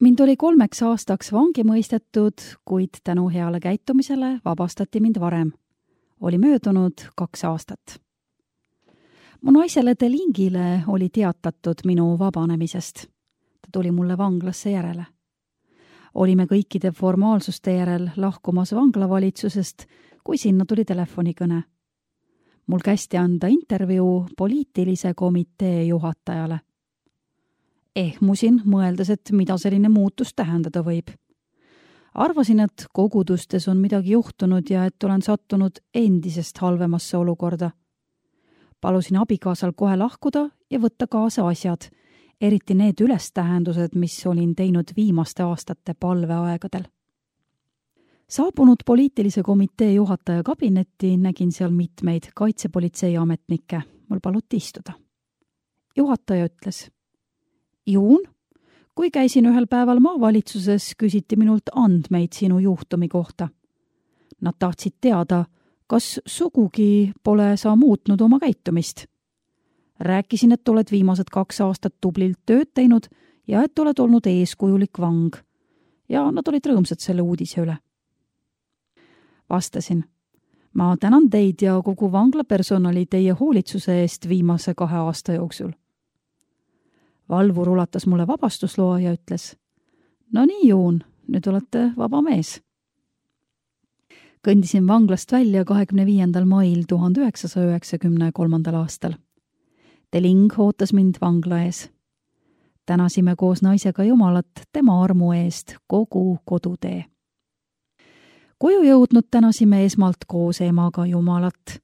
Mind oli 3 aastaks vangi mõistetud, kuid tänu heale käitumisele vabastati mind varem. Oli möödunud 2 aastat. Mu naisele Delingile oli teatatud minu vabanemisest. Ta tuli mulle vanglasse järele. Olime kõikide formaalsuste järel lahkumas vanglavalitsusest, kui sinna tuli telefonikõne. Mul kästi anda intervjuu poliitilise komitee juhatajale. Ehmusin, mõeldes, et mida selline muutus tähendada võib. Arvasin, et kogudustes on midagi juhtunud ja et olen sattunud endisest halvemasse olukorda. Palusin abikaasal kohe lahkuda ja võtta kaasa asjad, eriti need ülestähendused, mis olin teinud viimaste aastate palveaegadel. Saabunud poliitilise komitee juhataja kabinetti nägin seal mitmeid kaitsepolitsei ametnikke. Mul paluti istuda. Juhataja ütles: Juun, kui käisin ühel päeval maavalitsuses, küsiti minult andmeid sinu juhtumi kohta. Nad tahtsid teada, kas sugugi pole sa muutnud oma käitumist. Rääkisin, et oled viimased 2 aastat tublilt tööd teinud ja et oled olnud eeskujulik vang. Ja nad olid rõõmsad selle uudise üle. Vastasin: ma tänan teid ja kogu vangla personali teie hoolitsuse eest viimase 2 aasta jooksul. Valvur ulatas mulle vabastusloa ja ütles: no nii, Juun, nüüd olete vaba mees. Kõndisin vanglast välja 25. mail 1993. aastal. Deling ootas mind vangla ees. Tänasime koos naisega Jumalat tema armu eest kogu kodutee. Koju jõudnud tänasime esmalt koos emaga Jumalat.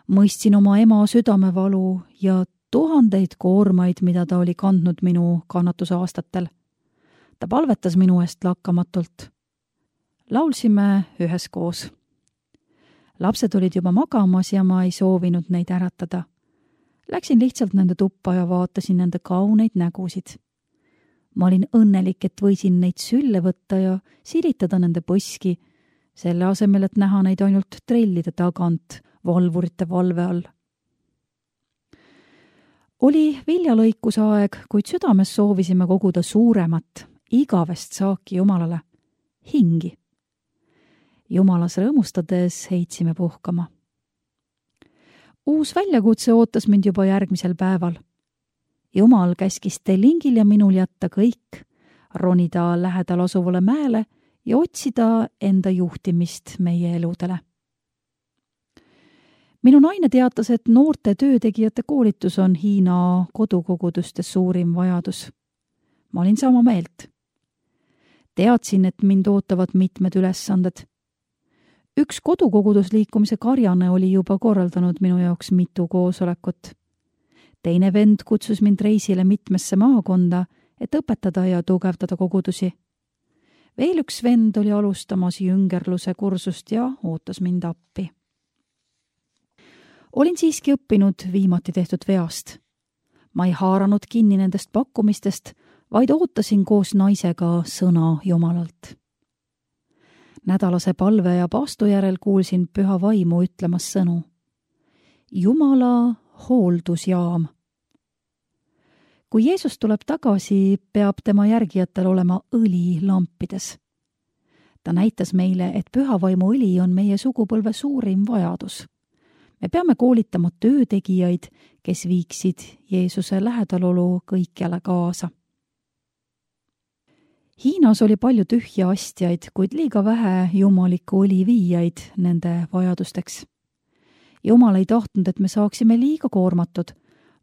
Mõistsin oma ema südamevalu ja 1000 koormaid, mida ta oli kandnud minu kannatuse aastatel. Ta palvetas minu eest lakkamatult. Laulsime üheskoos. Lapsed olid juba magamas ja ma ei soovinud neid äratada. Läksin lihtsalt nende tuppa ja vaatasin nende kauneid nägusid. Ma olin õnnelik, et võisin neid sülle võtta ja silitada nende põski, selle asemel, et näha neid ainult trellide tagant valvurite valve all. Oli viljalõikuse aeg, kuid südames soovisime koguda suuremat, igavest saaki Jumalale, hingi. Jumalas rõõmustades heitsime puhkama. Uus väljakutse ootas mind juba järgmisel päeval. Jumal käskis Delingil ja minul jätta kõik, ronida lähedal asuvale mäele ja otsida enda juhtimist meie eludele. Minu naine teatas, et noorte töötegijate koolitus on Hiina kodukogudustes suurim vajadus. Ma olin sama meelt. Teadsin, et mind ootavad mitmed ülesanded. Üks kodukogudusliikumise karjane oli juba korraldanud minu jaoks mitu koosolekut. Teine vend kutsus mind reisile mitmesse maakonda, et õpetada ja tugevdada kogudusi. Veel üks vend oli alustamas jüngerluse kursust ja ootas mind appi. Olin siiski õppinud viimati tehtud veast. Ma ei haaranud kinni nendest pakkumistest, vaid ootasin koos naisega sõna Jumalalt. Nädalase palve ja paastu järel kuulsin püha vaimu ütlemas sõnu: Jumala hooldusjaam. Kui Jeesus tuleb tagasi, peab tema järgijatel olema õli lampides. Ta näitas meile, et püha vaimu õli on meie sugupõlve suurim vajadus. Me peame koolitama töötegijaid, kes viiksid Jeesuse lähedalolu kõikjale kaasa. Hiinas oli palju tühja astjaid, kuid liiga vähe jumalikku õli viijaid nende vajadusteks. Jumal ei tahtnud, et me saaksime liiga koormatud,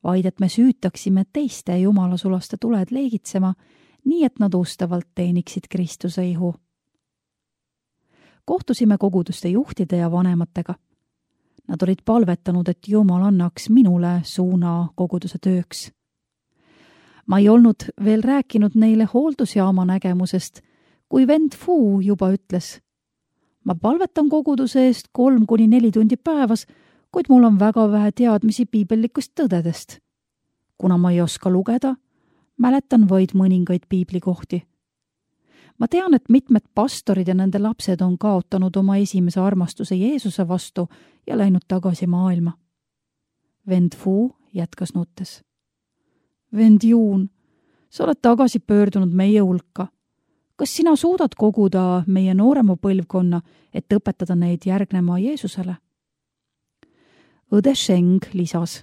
vaid et me süütaksime teiste jumalasulaste tuled leegitsema, nii et nad ustavalt teeniksid Kristuse ihu. Kohtusime koguduste juhtide ja vanematega. Nad olid palvetanud, et Jumal annaks minule suuna koguduse tööks. Ma ei olnud veel rääkinud neile hooldusjaama nägemusest, kui vend Fu juba ütles: ma palvetan koguduse eest 3–4 tundi päevas, kuid mul on väga vähe teadmisi piibellikust tõdedest. Kuna ma ei oska lugeda, mäletan vaid mõningaid piiblikohti. Ma tean, et mitmed pastorid ja nende lapsed on kaotanud oma esimese armastuse Jeesuse vastu ja läinud tagasi maailma. Vend Fu jätkas nuttes: vend Juun, sa oled tagasi pöördunud meie hulka. kas sina suudad koguda meie noorema põlvkonna, et õpetada neid järgnema Jeesusele? Õde Sheng lisas.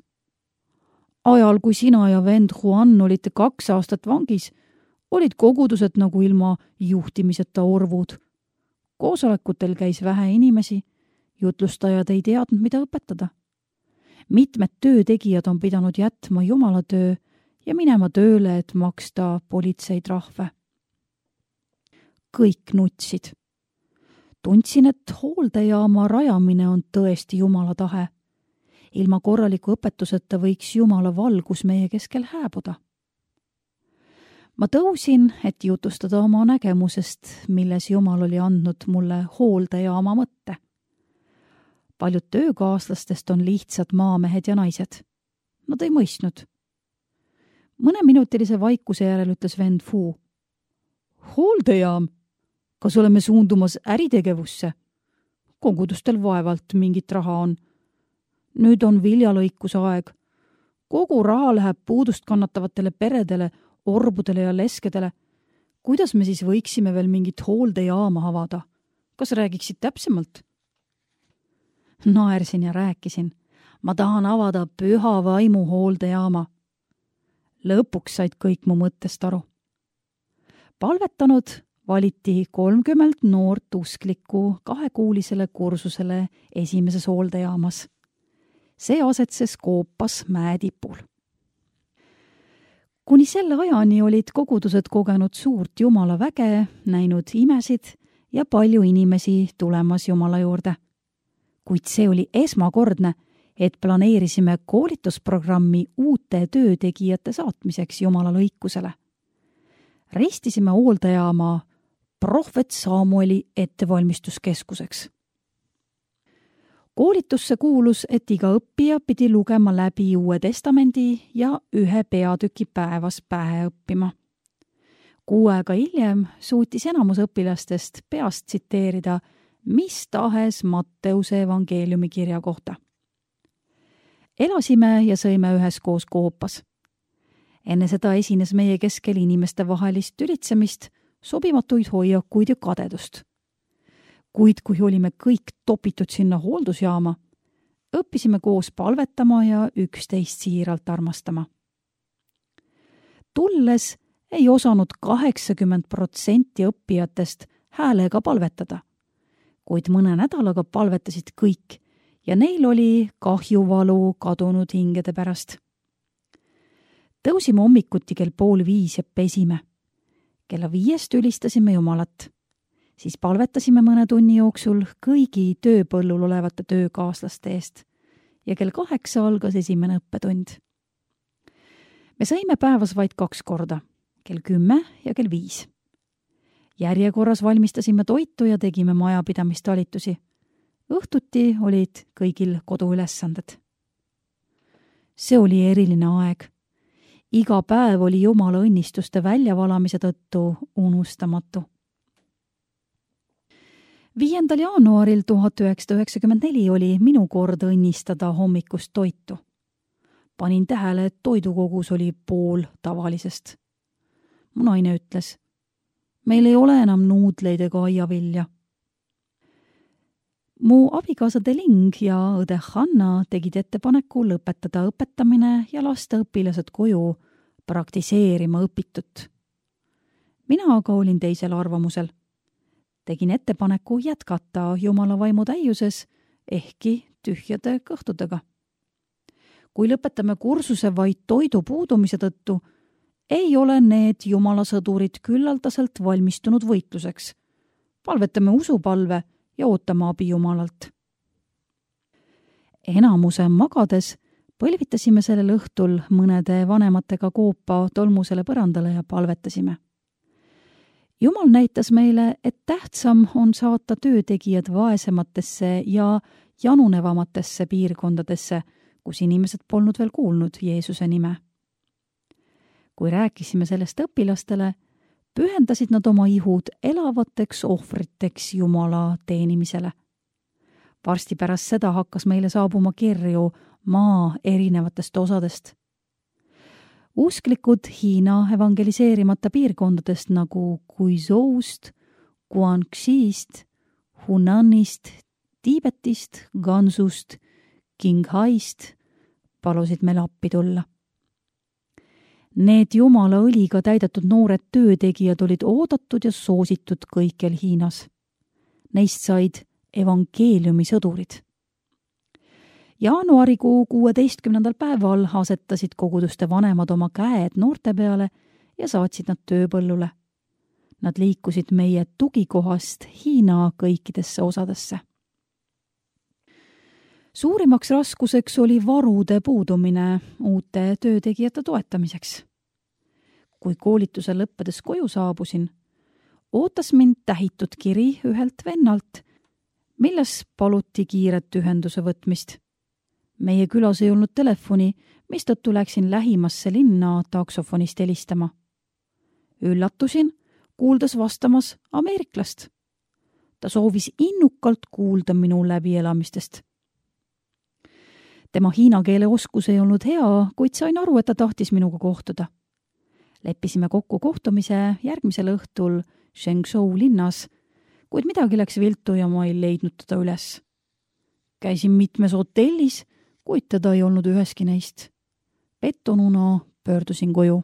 Ajal, kui sina ja vend Juan olite 2 aastat vangis, olid kogudused nagu ilma juhtimiseta orvud. Koosolekutel käis vähe inimesi, jutlustajad ei teadnud, mida õpetada. Mitmed töötegijad on pidanud jätma Jumala töö ja minema tööle, et maksta politseitrahve. Kõik nutsid. Tundsin, et hooldejaama rajamine on tõesti Jumala tahe. Ilma korraliku õpetuseta võiks Jumala valgus meie keskel hääbuda. Ma tõusin, et jutustada oma nägemusest, milles Jumal oli andnud mulle hooldejaama mõtte. Paljud töökaaslastest on lihtsad maamehed ja naised. Nad ei mõistnud. Mõneminutilise vaikuse järel ütles vend Fu. Hooldejaam? Kas oleme suundumas äritegevusse? Kogudustel vaevalt mingit raha on. Nüüd on viljalõikuse aeg. Kogu raha läheb puudust kannatavatele peredele, orbudele ja leskedele. Kuidas me siis võiksime veel mingit hooldejaama avada? Kas räägiksid täpsemalt? Naersin ja rääkisin. Ma tahan avada püha vaimu hooldejaama. Lõpuks said kõik mu mõttest aru. Palvetanud valiti 30 noort usklikku 2-kuulisele kursusele esimeses hooldejaamas. See asetses Koopas mäetipul. Kuni selle ajani olid kogudused kogenud suurt Jumala väge, näinud imesid ja palju inimesi tulemas Jumala juurde. Kuid see oli esmakordne, et planeerisime koolitusprogrammi uute töötegijate saatmiseks Jumala lõikusele. Ristisime hooldejaama prohvet Samueli ettevalmistuskeskuseks. Koolitusse kuulus, et iga õppija pidi lugema läbi Uue Testamendi ja 1 peatüki päevas pähe õppima. 6 aega hiljem suutis enamus õpilastest peast tsiteerida mis tahes Matteuse evangeeliumi kirja kohta. Elasime ja sõime üheskoos Koopas. Enne seda esines meie keskel inimeste vahelist tülitsemist, sobimatuid hoiakuid ja kadedust. Kuid kui olime kõik topitud sinna hooldusjaama, õppisime koos palvetama ja üksteist siiralt armastama. Tulles ei osanud 80% õppijatest häälega palvetada, kuid mõne nädalaga palvetasid kõik ja neil oli kahjuvalu kadunud hingede pärast. Tõusime hommikuti kell 4:30 ja pesime. Kella 5 ülistasime Jumalat. Siis palvetasime mõne tunni jooksul kõigi tööpõllul olevate töökaaslaste eest ja kell 8 algas esimene õppetund. Me sõime päevas vaid 2 korda, kell 10 ja kell 5. Järjekorras valmistasime toitu ja tegime majapidamistalitusi. Õhtuti olid kõigil koduülesanded. See oli eriline aeg. Iga päev oli Jumala õnnistuste väljavalamise tõttu unustamatu. 5. jaanuaril 1994 oli minu kord õnnistada hommikust toitu. Panin tähele, et toidukogus oli pool tavalisest. Mu naine ütles, meil ei ole enam nuudleid ega aiavilja. Mu abikaasa Deling ja õde Hanna tegid ettepaneku lõpetada õpetamine ja lasta õpilased koju praktiseerima õpitut. Mina aga olin teisel arvamusel. Tegin ettepaneku jätkata Jumala vaimu täiuses, ehkki tühjade kõhtudega. Kui lõpetame kursuse vaid toidu puudumise tõttu, ei ole need Jumala sõdurid küllaldaselt valmistunud võitluseks. Palvetame usupalve ja ootame abi Jumalalt. Enamuse magades põlvitasime sellel õhtul mõnede vanematega Koopa tolmusele põrandale ja palvetasime. Jumal näitas meile, et tähtsam on saata töötegijad vaesematesse ja janunevamatesse piirkondadesse, kus inimesed polnud veel kuulnud Jeesuse nime. Kui rääkisime sellest õpilastele, pühendasid nad oma ihud elavateks ohvriteks Jumala teenimisele. Varsti pärast seda hakkas meile saabuma kirju maa erinevatest osadest. Usklikud Hiina evangeliseerimata piirkondadest nagu Guizhou'st, Guangxi'st, Hunanist, Tiibetist, Ganzust, Qinghai'st palusid meil appi tulla. Need jumala õliga täidetud noored töötegijad olid oodatud ja soositud kõikjal Hiinas. Neist said evangeeliumi sõdurid. Jaanuarikuu 16. päeval asetasid koguduste vanemad oma käed noorte peale ja saatsid nad tööpõllule. Nad liikusid meie tugikohast Hiina kõikidesse osadesse. Suurimaks raskuseks oli varude puudumine uute töötegijate toetamiseks. Kui koolituse lõppedes koju saabusin, ootas mind tähitud kiri ühelt vennalt, milles paluti kiiret ühenduse võtmist. Meie külas ei olnud telefoni, mistõttu läksin lähimasse linna taksofonist helistama. Üllatusin, kuuldes vastamas ameeriklast. Ta soovis innukalt kuulda minu läbielamistest. Tema hiina keele oskus ei olnud hea, kuid sain aru, et ta tahtis minuga kohtuda. Leppisime kokku kohtumise järgmisel õhtul Shengzhou linnas, kuid midagi läks viltu ja ma ei leidnud teda üles. Käisin mitmes hotellis, kuid teda ei olnud üheski neist. Pettununa pöördusin koju.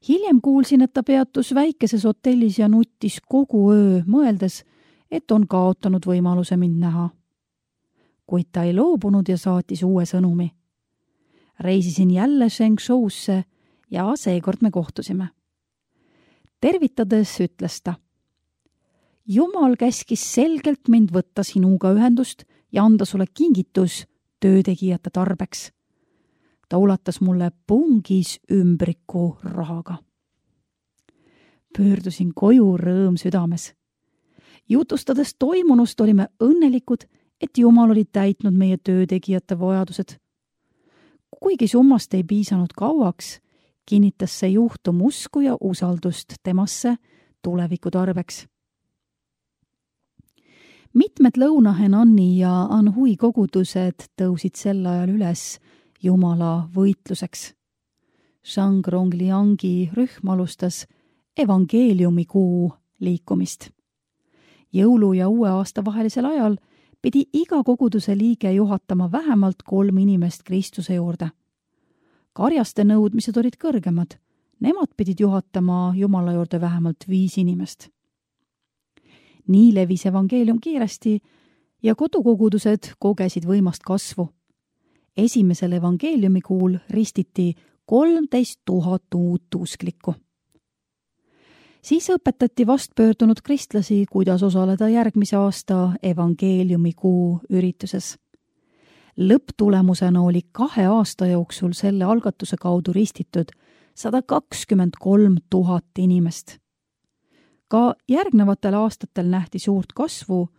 Hiljem kuulsin, et ta peatus väikeses hotellis ja nuttis kogu öö, mõeldes, et on kaotanud võimaluse mind näha. Kuid ta ei loobunud ja saatis uue sõnumi. Reisisin jälle Shengzhou'sse ja seekord me kohtusime. Tervitades ütles ta: Jumal käskis selgelt mind võtta sinuga ühendust ja anda sulle kingitus töötegijate tarbeks. Ta ulatas mulle pungis ümbriku rahaga. Pöördusin koju rõõm südames. Jutustades toimunust olime õnnelikud, et Jumal oli täitnud meie töötegijate vajadused. Kuigi summast ei piisanud kauaks, kinnitas see juhtum usku ja usaldust temasse tuleviku tarbeks. Mitmed Lõuna-Henani ja Anhui kogudused tõusid sel ajal üles Jumala võitluseks. Shangrongliangi rühm alustas evangeeliumikuu liikumist. Jõulu ja uue aasta vahelisel ajal pidi iga koguduse liige juhatama vähemalt 3 inimest Kristuse juurde. Karjaste nõudmised olid kõrgemad. Nemad pidid juhatama Jumala juurde vähemalt 5 inimest. Nii levis evangeelium kiiresti ja kodukogudused kogesid võimast kasvu. Esimesel evangeeliumikuul ristiti 13 000 uut usklikku. Siis õpetati vastpöördunud kristlasi, kuidas osaleda järgmise aasta evangeeliumikuu ürituses. Lõpptulemusena oli 2 aasta jooksul selle algatuse kaudu ristitud 123 000 inimest. Ka järgnevatel aastatel nähti suurt kasvu,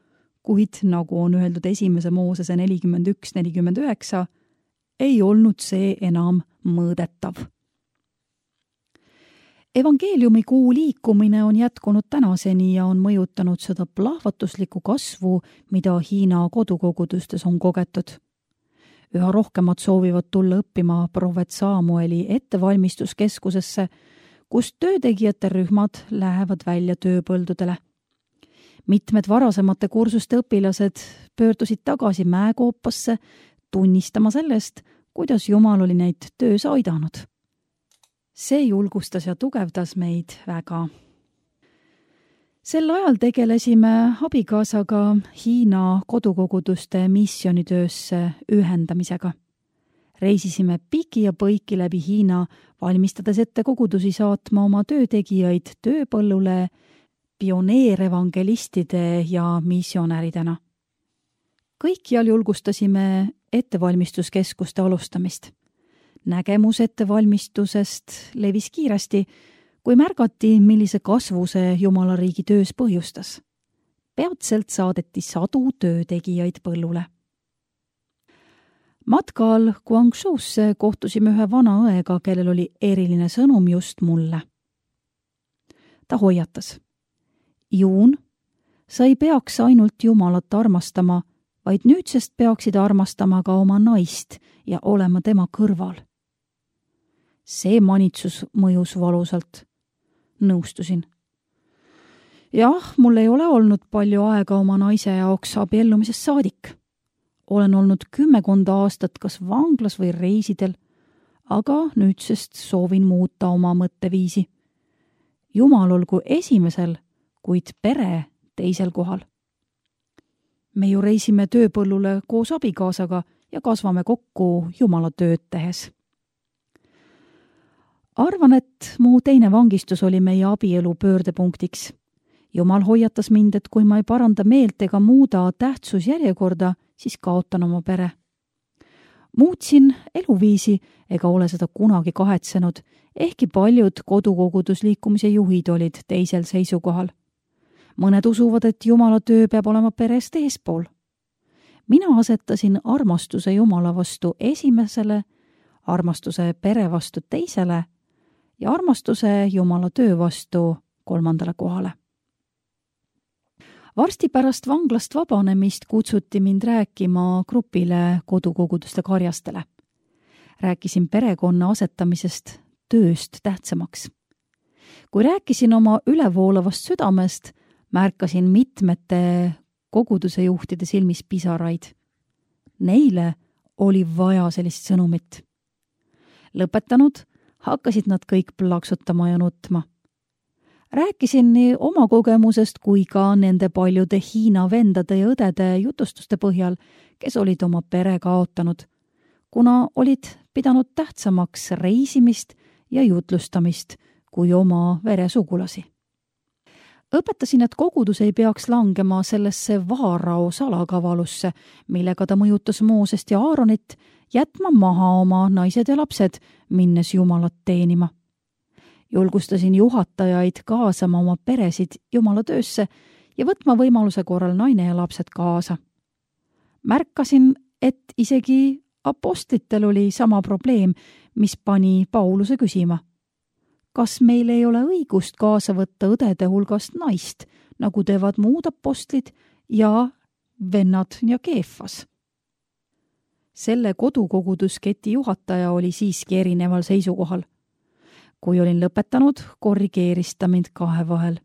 kuid nagu on öeldud 1. Moosese 41-49, ei olnud see enam mõõdetav. Evangeeliumikuu liikumine on jätkunud tänaseni ja on mõjutanud seda plahvatuslikku kasvu, mida Hiina kodukogudustes on kogetud. Üha rohkemad soovivad tulla õppima prohvet Samueli ettevalmistuskeskusesse, kus töötegijate rühmad lähevad välja tööpõldudele. Mitmed varasemate kursuste õpilased pöördusid tagasi mäekoopasse, tunnistama sellest, kuidas Jumal oli neid töös aidanud. See julgustas ja tugevdas meid väga. Sel ajal tegelesime abikaasaga Hiina kodukoguduste missioonitöösse ühendamisega. Reisisime piki ja põiki läbi Hiina, valmistades ette kogudusi saatma oma töötegijaid tööpõllule pioneerevangelistide ja missionäridena. Kõikjal julgustasime ettevalmistuskeskuste alustamist. Nägemus ettevalmistusest levis kiiresti, kui märgati, millise kasvu see Jumala riigi töös põhjustas. Peatselt saadeti 100 töötegijaid põllule. Matkal Guangzhou'sse kohtusime ühe vana õega, kellel oli eriline sõnum just mulle. Ta hoiatas: Juun, sa ei peaks ainult Jumalat armastama, vaid nüüdsest peaksid armastama ka oma naist ja olema tema kõrval. See manitsus mõjus valusalt. Nõustusin. Jah, mul ei ole olnud palju aega oma naise jaoks abiellumisest saadik. Olen olnud 10 aastat kas vanglas või reisidel, aga nüüdsest soovin muuta oma mõtteviisi. Jumal olgu esimesel, kuid pere teisel kohal. Me ju reisime tööpõllule koos abikaasaga ja kasvame kokku Jumala tööd tehes. Arvan, et mu teine vangistus oli meie abielu pöördepunktiks. Jumal hoiatas mind, et kui ma ei paranda meelt ega muuda tähtsusjärjekorda, siis kaotan oma pere. Muutsin eluviisi ega ole seda kunagi kahetsenud, ehkki paljud kodukogudusliikumise juhid olid teisel seisukohal. Mõned usuvad, et Jumala töö peab olema perest eespool. Mina asetasin armastuse Jumala vastu esimesele, armastuse pere vastu teisele ja armastuse Jumala töö vastu 3. kohale. Varsti pärast vanglast vabanemist kutsuti mind rääkima grupile kodukoguduste karjastele. Rääkisin perekonna asetamisest tööst tähtsamaks. Kui rääkisin oma ülevoolavast südamest, märkasin mitmete koguduse juhtide silmis pisaraid. Neile oli vaja sellist sõnumit. Lõpetanud, hakkasid nad kõik plaksutama ja nutma. Rääkisin nii oma kogemusest kui ka nende paljude Hiina vendade ja õdede jutustuste põhjal, kes olid oma pere kaotanud, kuna olid pidanud tähtsamaks reisimist ja jutlustamist kui oma veresugulasi. Õpetasin, et kogudus ei peaks langema sellesse Vaarao salakavalusse, millega ta mõjutas Moosest ja Aaronit, jätma maha oma naised ja lapsed, minnes Jumalat teenima. Julgustasin juhatajaid kaasama oma peresid Jumala töösse ja võtma võimaluse korral naine ja lapsed kaasa. Märkasin, et isegi apostlitel oli sama probleem, mis pani Pauluse küsima. Kas meil ei ole õigust kaasa võtta õdede hulgast naist, nagu teevad muud apostlid ja vennad ja Keefas? Selle kodukogudusketi juhataja oli siiski erineval seisukohal. Kui olin lõpetanud, korrigeeris ta mind kahe vahel.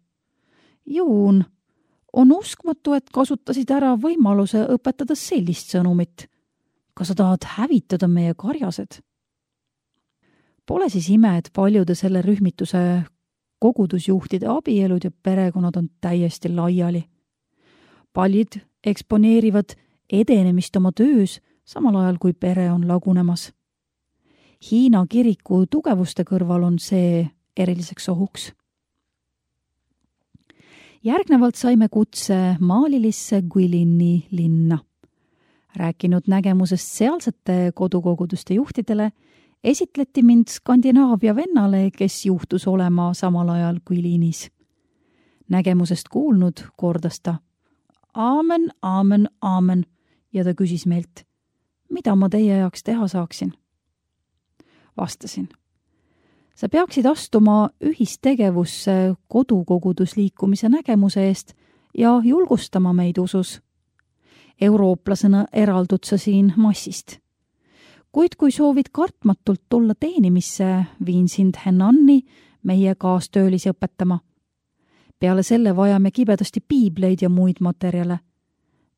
Juun, on uskmatu, et kasutasid ära võimaluse õpetada sellist sõnumit. Kas sa tahad hävitada meie karjased? Pole siis ime, et paljude selle rühmituse kogudusjuhtide abielud ja perekonnad on täiesti laiali. Paljud eksponeerivad edenemist oma töös, samal ajal kui pere on lagunemas. Hiina kiriku tugevuste kõrval on see eriliseks ohuks. Järgnevalt saime kutse Maalilisse Guilini linna. Rääkinud nägemusest sealsete kodukoguduste juhtidele, esitleti mind Skandinaavia vennale, kes juhtus olema samal ajal Guilinis. Nägemusest kuulnud kordas ta Aamen, aamen, aamen ja ta küsis meilt, mida ma teie jaoks teha saaksin. Vastasin, sa peaksid astuma ühistegevusse kodukogudusliikumise nägemuse eest ja julgustama meid usus. Eurooplasena eraldud sa siin massist. Kuid kui soovid kartmatult tulla teenimisse, viin sind Hennanni meie kaastöölisi õpetama. Peale selle vajame kibedasti piibleid ja muid materjale.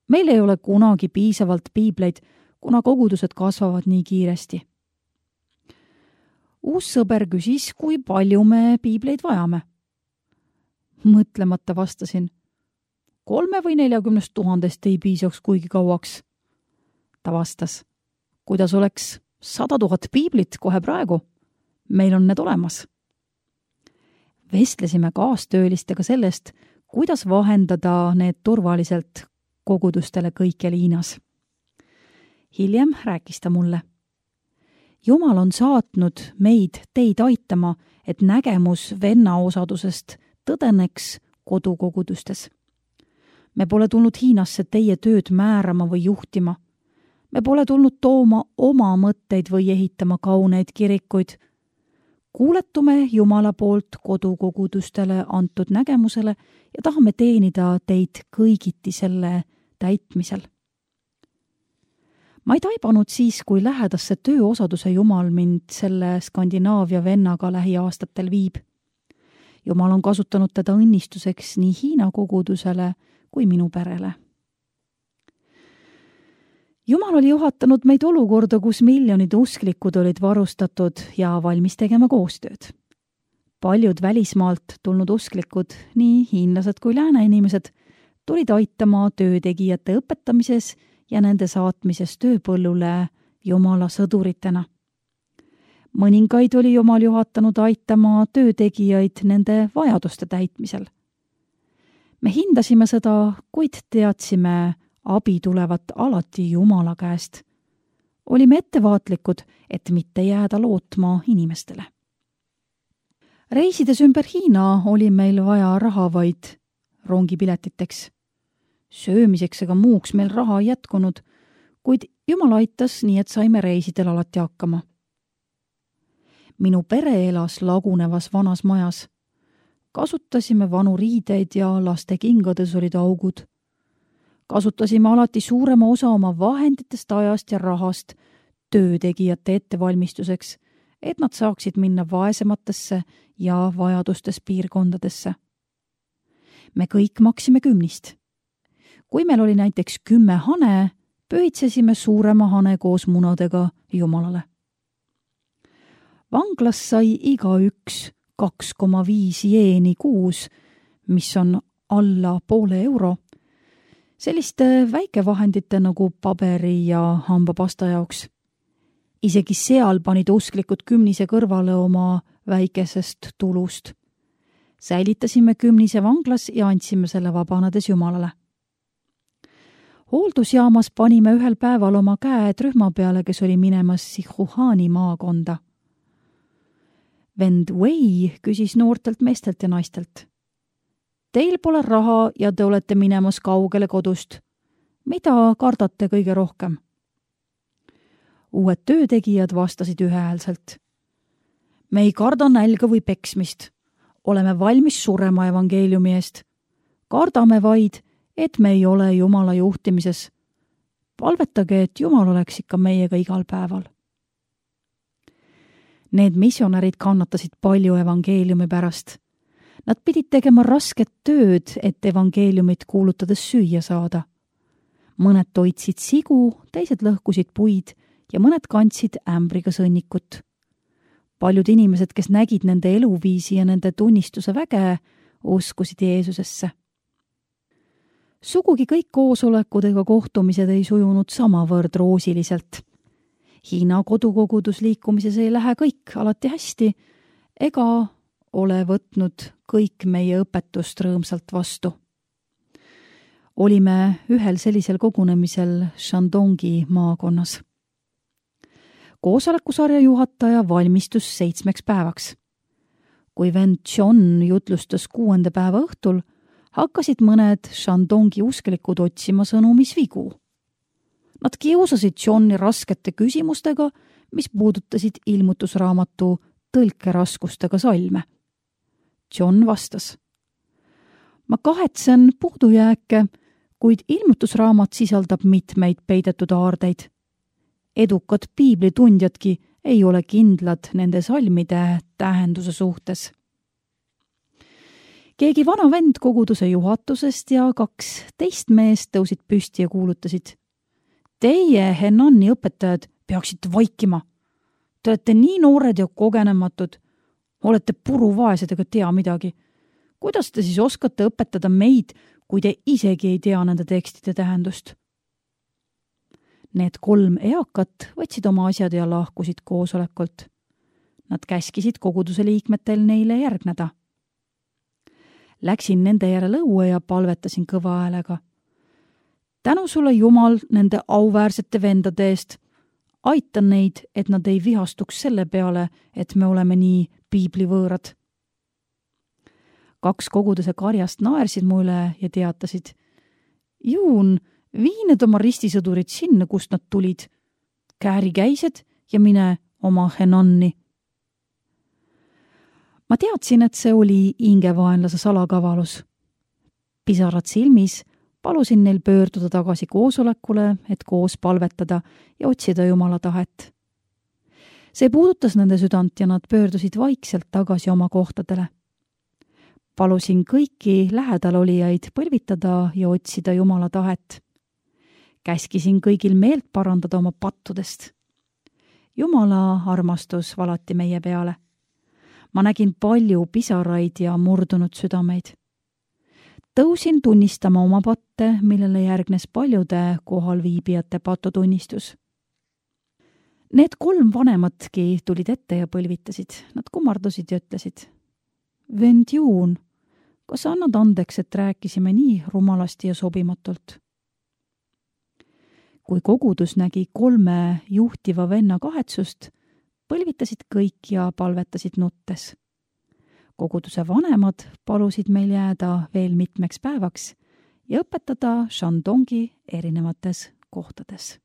Meil ei ole kunagi piisavalt piibleid, kuna kogudused kasvavad nii kiiresti. Uus sõber küsis, kui palju me piibleid vajame. Mõtlemata vastasin, 3 või 40 000 ei piisaks kuigi kauaks. Ta vastas, kuidas oleks 100 000 piiblit kohe praegu? Meil on need olemas. Vestlesime kaastöölistega sellest, kuidas vahendada need turvaliselt kogudustele kõikjal Hiinas. Hiljem rääkis ta mulle. Jumal on saatnud meid teid aitama, et nägemus venna osadusest tõdeneks kodukogudustes. Me pole tulnud Hiinasse teie tööd määrama või juhtima. Me pole tulnud tooma oma mõtteid või ehitama kauneid kirikuid. Kuuletume Jumala poolt kodukogudustele antud nägemusele ja tahame teenida teid kõigiti selle täitmisel. Ma ei taibanud siis, kui lähedasse tööosaduse Jumal mind selle Skandinaavia vennaga lähiaastatel viib. Jumal on kasutanud teda õnnistuseks nii Hiina kogudusele kui minu perele. Jumal oli juhatanud meid olukorda, kus miljonid usklikud olid varustatud ja valmis tegema koostööd. Paljud välismaalt tulnud usklikud, nii hiinlased kui lääne inimesed, tulid aitama töötegijate õpetamises ja nende saatmises tööpõllule Jumala sõduritena. Mõningaid oli Jumal juhatanud aitama töötegijaid nende vajaduste täitmisel. Me hindasime seda, kuid teadsime, abi tulevat alati Jumala käest. Olime ettevaatlikud, et mitte jääda lootma inimestele. Reisides ümber Hiina oli meil vaja raha vaid rongipiletiteks. Söömiseks ega muuks meil raha ei jätkunud, kuid Jumal aitas nii, et saime reisidel alati hakkama. Minu pere elas lagunevas vanas majas. Kasutasime vanu riideid ja laste kingades olid augud. Kasutasime alati suurema osa oma vahenditest, ajast ja rahast töötegijate ettevalmistuseks, et nad saaksid minna vaesematesse ja vajadustes piirkondadesse. Me kõik maksime kümnist. Kui meil oli näiteks 10 hane, pöitsesime suurema hane koos munadega Jumalale. Vanglas sai igaüks 2,5 jeeni kuus, mis on alla €0,5, selliste väikevahendite nagu paberi ja hambapasta jaoks. Isegi seal panid usklikud kümnise kõrvale oma väikesest tulust. Säilitasime kümnise vanglas ja andsime selle vabanedes Jumalale. Hooldusjaamas panime ühel päeval oma käed rühma peale, kes oli minemas Sichuani maakonda. Vend Wei küsis noortelt meestelt ja naistelt. Teil pole raha ja te olete minemas kaugele kodust. Mida kardate kõige rohkem? Uued töötegijad vastasid ühehäälselt. Me ei karda nälga või peksmist. Oleme valmis surema evangeeliumi eest. Kardame vaid, et me ei ole Jumala juhtimises. Palvetage, et Jumal oleks ikka meiega igal päeval. Need missionärid kannatasid palju evangeeliumi pärast. Nad pidid tegema rasket tööd, et evangeeliumit kuulutades süüa saada. Mõned toitsid sigu, teised lõhkusid puid ja mõned kandsid ämbriga sõnnikut. Paljud inimesed, kes nägid nende eluviisi ja nende tunnistuse väge, uskusid Jeesusesse. Sugugi kõik koosolekud ega kohtumised ei sujunud samavõrd roosiliselt. Hiina kodukogudusliikumises ei lähe kõik alati hästi ega ole võtnud kõik meie õpetust rõõmsalt vastu. Olime ühel sellisel kogunemisel Shandongi maakonnas. Koosolekusarja juhataja valmistus 7 päevaks. Kui vend John jutlustas 6. päeva õhtul, hakkasid mõned Shandongi usklikud otsima sõnumis vigu. Nad kiusasid Johni raskete küsimustega, mis puudutasid ilmutusraamatu tõlkeraskustega salme. John vastas. Ma kahetsen puudujääke, kuid ilmutusraamat sisaldab mitmeid peidetud aardeid. Edukad piiblitundjadki ei ole kindlad nende salmide tähenduse suhtes. Keegi vana vend koguduse juhatusest ja 2 teist meest tõusid püsti ja kuulutasid. Teie, Henani õpetajad, peaksite vaikima. Te olete nii noored ja kogenematud. Olete puruvaesed ega tea midagi. Kuidas te siis oskate õpetada meid, kui te isegi ei tea nende tekstide tähendust? Need 3 eakat võtsid oma asjad ja lahkusid koosolekult. Nad käskisid koguduse liikmetel neile järgneda. Läksin nende järele õue ja palvetasin kõva häälega. Tänu sulle, Jumal, nende auväärsete vendade eest. Aita neid, et nad ei vihastuks selle peale, et me oleme nii piiblivõõrad. 2 koguduse karjast naersid mu üle ja teatasid. Juun, vii need oma ristisõdurid sinna, kust nad tulid. Kääri käised ja mine oma Henanni. Ma teadsin, et see oli hingevaenlase salakavalus. Pisarad silmis Palusin neil pöörduda tagasi koosolekule, et koos palvetada ja otsida Jumala tahet. See puudutas nende südant ja nad pöördusid vaikselt tagasi oma kohtadele. Palusin kõiki lähedal olijaid põlvitada ja otsida Jumala tahet. Käskisin kõigil meelt parandada oma pattudest. Jumala armastus valati meie peale. Ma nägin palju pisaraid ja murdunud südameid. Tõusin tunnistama oma patte, millele järgnes paljude kohalviibijate patutunnistus. Need 3 vanematki tulid ette ja põlvitasid. Nad kummardusid ja ütlesid: "Vend Juun, kas sa annad andeks, et rääkisime nii rumalasti ja sobimatult?" Kui kogudus nägi 3 juhtiva venna kahetsust, põlvitasid kõik ja palvetasid nuttes. Koguduse vanemad palusid meil jääda veel mitmeks päevaks ja õpetada Shandongi erinevates kohtades.